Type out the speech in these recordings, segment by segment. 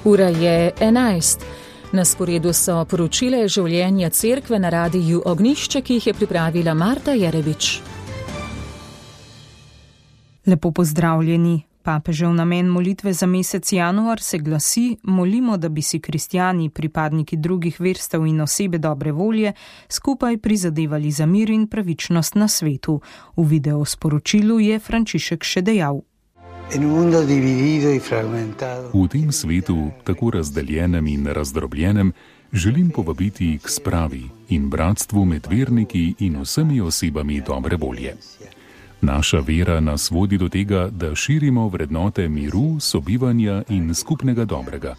Ura je 11. Na sporedu so poročile življenja cerkve na radiju Ognjišče, ki jih je pripravila Marta Jerebič. Lepo pozdravljeni. Papežev namen molitve za mesec januar se glasi: molimo, da bi si kristjani, pripadniki drugih verstev in osebe dobre volje, skupaj prizadevali za mir in pravičnost na svetu. V video sporočilu je Frančišek še dejal: V tem svetu, tako razdeljenem in razdrobljenem, želim povabiti k spravi in bratstvu med verniki in vsemi osebami dobre volje. Naša vera nas vodi do tega, da širimo vrednote miru, sobivanja in skupnega dobrega.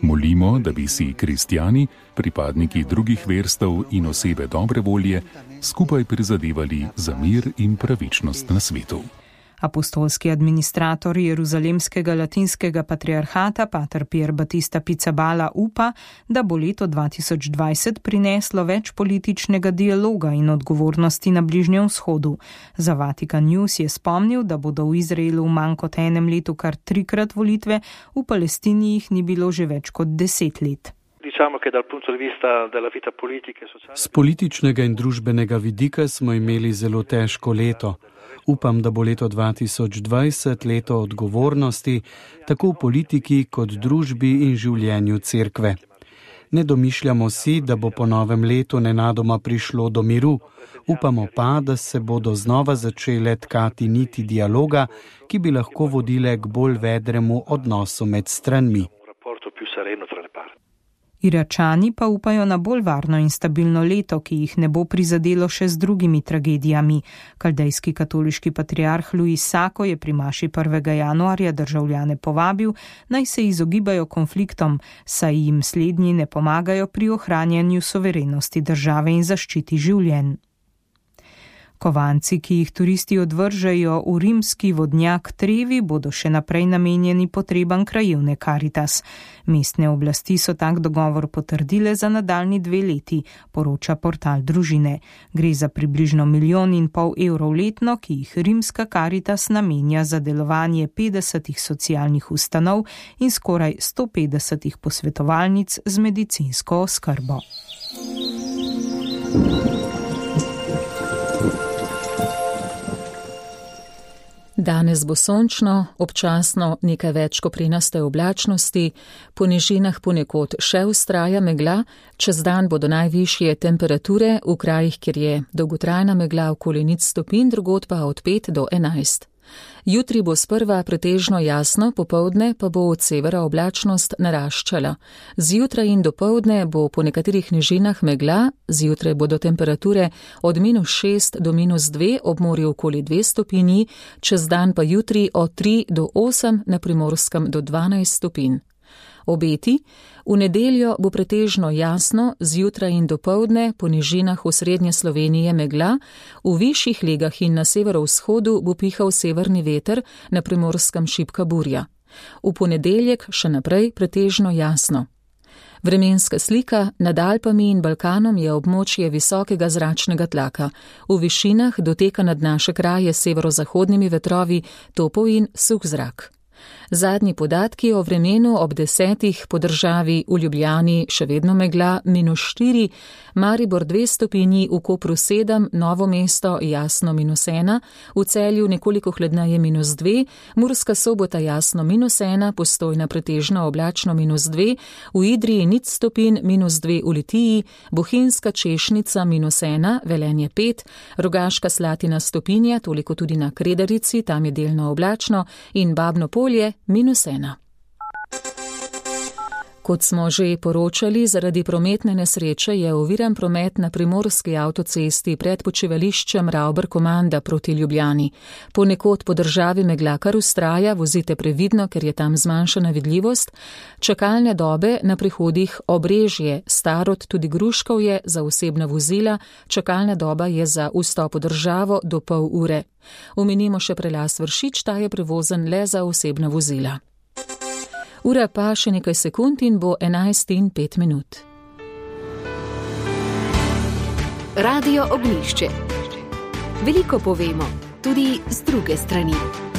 Molimo, da bi si kristjani, pripadniki drugih verstev in osebe dobre volje, skupaj prizadevali za mir in pravičnost na svetu. Apostolski administrator Jeruzalemskega latinskega patriarhata pater Pier Battista Pizzaballa upa, da bo leto 2020 prineslo več političnega dialoga in odgovornosti na Bližnjem vzhodu. Za Vatikan News je spomnil, da bodo v Izraelu v manj kot enem letu kar 3-krat volitve, v Palestini jih ni bilo že več kot 10 let. Z političnega in družbenega vidika smo imeli zelo težko leto. Upam, da bo leto 2020 leto odgovornosti, tako v politiki kot družbi in življenju cerkve. Ne domišljamo si, da bo po novem letu nenadoma prišlo do miru. Upamo pa, da se bodo znova začele tkati niti dialoga, ki bi lahko vodile k bolj vedremu odnosu med stranmi. Iračani pa upajo na bolj varno in stabilno leto, ki jih ne bo prizadelo še z drugimi tragedijami. Kaldejski katoliški patriarh Luis Sako je pri maši 1. januarja državljane povabil, naj se izogibajo konfliktom, saj jim slednji ne pomagajo pri ohranjanju suverenosti države in zaščiti življenj. Kovanci, ki jih turisti odvržejo v rimski vodnjak Trevi, bodo še naprej namenjeni potrebam krajevne Caritas. Mestne oblasti so tak dogovor potrdile za nadaljnji 2 leti, poroča portal Družine. Gre za približno 1,5 milijona evrov letno, ki jih rimska Caritas namenja za delovanje 50 socialnih ustanov in skoraj 150 posvetovalnic z medicinsko oskrbo. Danes bo sončno, občasno nekaj več koprenaste oblačnosti, po nižinah ponekod še vztraja megla, čez dan bodo najvišje temperature v krajih, kjer je dolgotrajna megla okoli 0 stopinj, drugod pa od 5 do 11. Jutri bo sprva pretežno jasno, popoldne pa bo od severa oblačnost naraščala. Zjutraj in dopoldne bo po nekaterih nižinah megla, zjutraj bodo temperature od -6 do -2, ob morju okoli 2 stopinji, čez dan pa jutri od 3 do 8, na Primorskem do 12 stopinj. Obeti: v nedeljo bo pretežno jasno, zjutraj in dopoldne po nižinah v srednje Slovenije megla, v višjih legah in na severovzhodu bo pihal severni veter, na Primorskem šibka burja. V ponedeljek še naprej pretežno jasno. Vremenska slika: nad Alpami in Balkanom je območje visokega zračnega tlaka. V višinah doteka nad naše kraje s severozahodnimi vetrovi topel in suh zrak. Zadnji podatki o vremenu ob 10 po državi: v Ljubljani še vedno megla, -4, Maribor 2 stopinji, v Kopru 7, Novo mesto jasno -1, v Celju nekoliko hladneje -2, Murska Sobota jasno -1, Postojna pretežno oblačno -2, v Idriji 0 stopinj, -2 v Litiji, Bohinjska Češnica -1, Velenje 5, Rogaška Slatina stopinja, toliko tudi na Kredarici, tam je delno oblačno, in Babno Polje -1. Kot smo že poročali, zaradi prometne nesreče je oviran promet na primorski avtocesti pred počivališčem Ravber-Komanda proti Ljubljani. Ponekod po državi megla kar vztraja, vozite previdno, ker je tam zmanjšana vidljivost. Čakalne dobe na prihodih Obrežje, Starod, tudi Gruškovje za osebna vozila, čakalna doba je za vstop v državo do pol ure. Omenimo še prelaz Vršič, ta je prevozen le za osebna vozila. Ura pa še nekaj sekund in bo 11:05. Radio Ognjišče. Veliko povemo, tudi z druge strani.